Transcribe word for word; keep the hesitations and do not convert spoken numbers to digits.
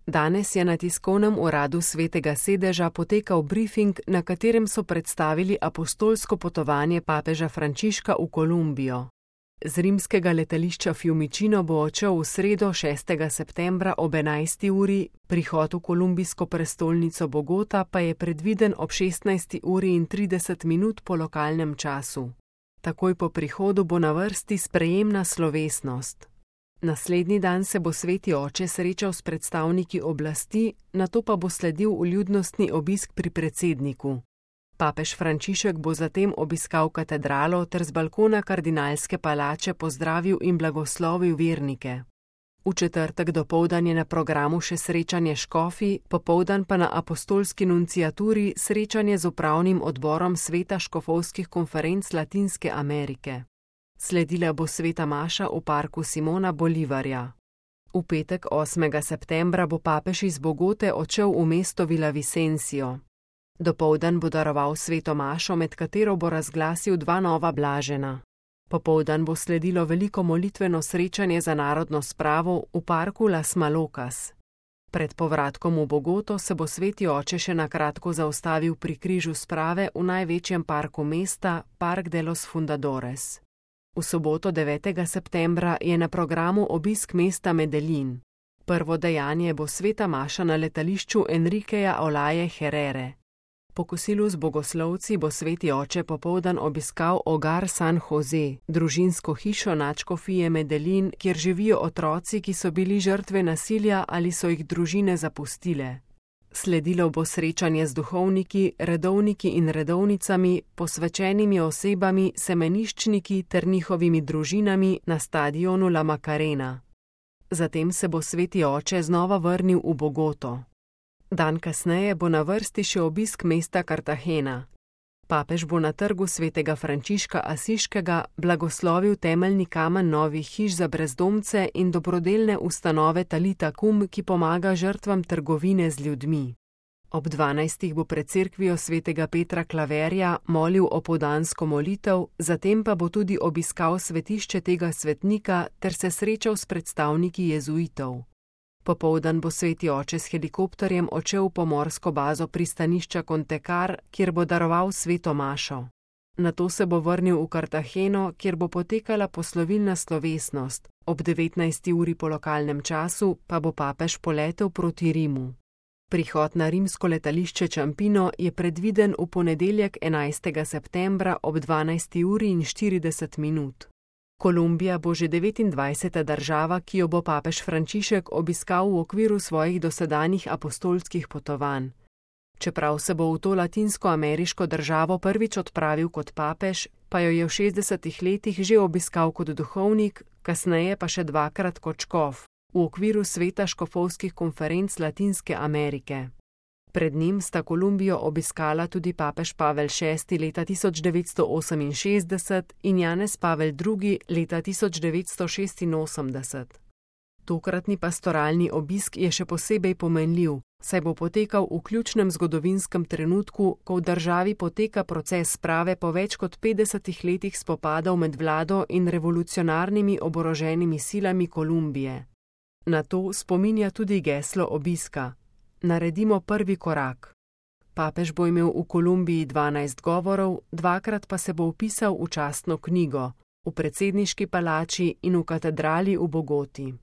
Danes je na tiskovnem uradu Svetega sedeža potekal brifing, na katerem so predstavili apostolsko potovanje papeža Frančiška v Kolumbijo. Z rimskega letališča Fiumicino bo odšel v sredo šestega septembra ob enajsti uri, prihod v kolumbijsko prestolnico Bogota pa je predviden ob šestnajsti uri in trideset minut po lokalnem času. Takoj po prihodu bo na vrsti sprejemna slovesnost. Naslednji dan se bo sveti oče srečal s predstavniki oblasti, nato pa bo sledil vljudnostni obisk pri predsedniku. Papež Frančišek bo zatem obiskal katedralo ter z balkona kardinalske palače pozdravil in blagoslovil vernike. V četrtek dopoldan je na programu še srečanje škofij, popoldan pa na apostolski nunciaturi srečanje z upravnim odborom Sveta škofovskih konferenc Latinske Amerike. Sledila bo sveta maša v parku Simona Bolivarja. V petek osmega septembra bo papež iz Bogote odšel v mesto Villavicencio. Dopoldan bo daroval sveto mašo, med katero bo razglasil dva nova blažena. Popoldan bo sledilo veliko molitveno srečanje za narodno spravo v parku Las Malocas. Pred povratkom v Bogoto se bo sveti oče še na kratko zaustavil pri križu sprave v največjem parku mesta, Park de los Fundadores. V soboto devetega septembra je na programu obisk mesta Medellin. Prvo dejanje bo sveta maša na letališču Enriqueja Olaje Herrere. Po kosilu z bogoslovci bo sveti oče popoldan obiskal Hogar San Jose, družinsko hišo nadškofije Medellin, kjer živijo otroci, ki so bili žrtve nasilja ali so jih družine zapustile. Sledilo bo srečanje z duhovniki, redovniki in redovnicami, posvečenimi osebami, semeniščniki ter njihovimi družinami na stadionu La Macarena. Zatem se bo sveti oče znova vrnil v Bogoto. Dan kasneje bo na vrsti še obisk mesta Cartagena. Papež bo na trgu svetega Frančiška Asiškega blagoslovil temeljni kamen novih hiš za brezdomce in dobrodelne ustanove Talita Kum, ki pomaga žrtvam trgovine z ljudmi. Ob dvanajstih bo pred cerkvijo svetega Petra Klaverja molil opoldansko molitev, zatem pa bo tudi obiskal svetišče tega svetnika ter se srečal s predstavniki jezuitov. Popoldan bo sveti oče s helikopterjem odšel v pomorsko bazo pristanišča Contecar, kjer bo daroval sveto mašo. Nato se bo vrnil v Cartageno, kjer bo potekala poslovilna slovesnost, ob devetnajsti uri po lokalnem času pa bo papež poletel proti Rimu. Prihod na rimsko letališče Ciampino je predviden v ponedeljek enajstega septembra ob dvanajsti uri in štirideset minut. Kolumbija bo že devetindvajseta država, ki jo bo papež Frančišek obiskal v okviru svojih dosedanjih apostolskih potovanj. Čeprav se bo v to latinsko-ameriško državo prvič odpravil kot papež, pa jo je v šestdesetih letih že obiskal kot duhovnik, kasneje pa še dvakrat kot škof, v okviru Sveta škofovskih konferenc Latinske Amerike. Pred njim sta Kolumbijo obiskala tudi papež Pavel šesti leta tisoč devetsto oseminšestdeset in Janez Pavel drugi leta tisoč devetsto šestinosemdeset. Tokratni pastoralni obisk je še posebej pomenljiv, saj bo potekal v ključnem zgodovinskem trenutku, ko v državi poteka proces sprave po več kot petdesetih letih spopadov med vlado in revolucionarnimi oboroženimi silami Kolumbije. Na to spominja tudi geslo obiska. Naredimo prvi korak. Papež bo imel v Kolumbiji dvanajst govorov, dvakrat pa se bo vpisal v častno knjigo, v predsedniški palači in v katedrali v Bogoti.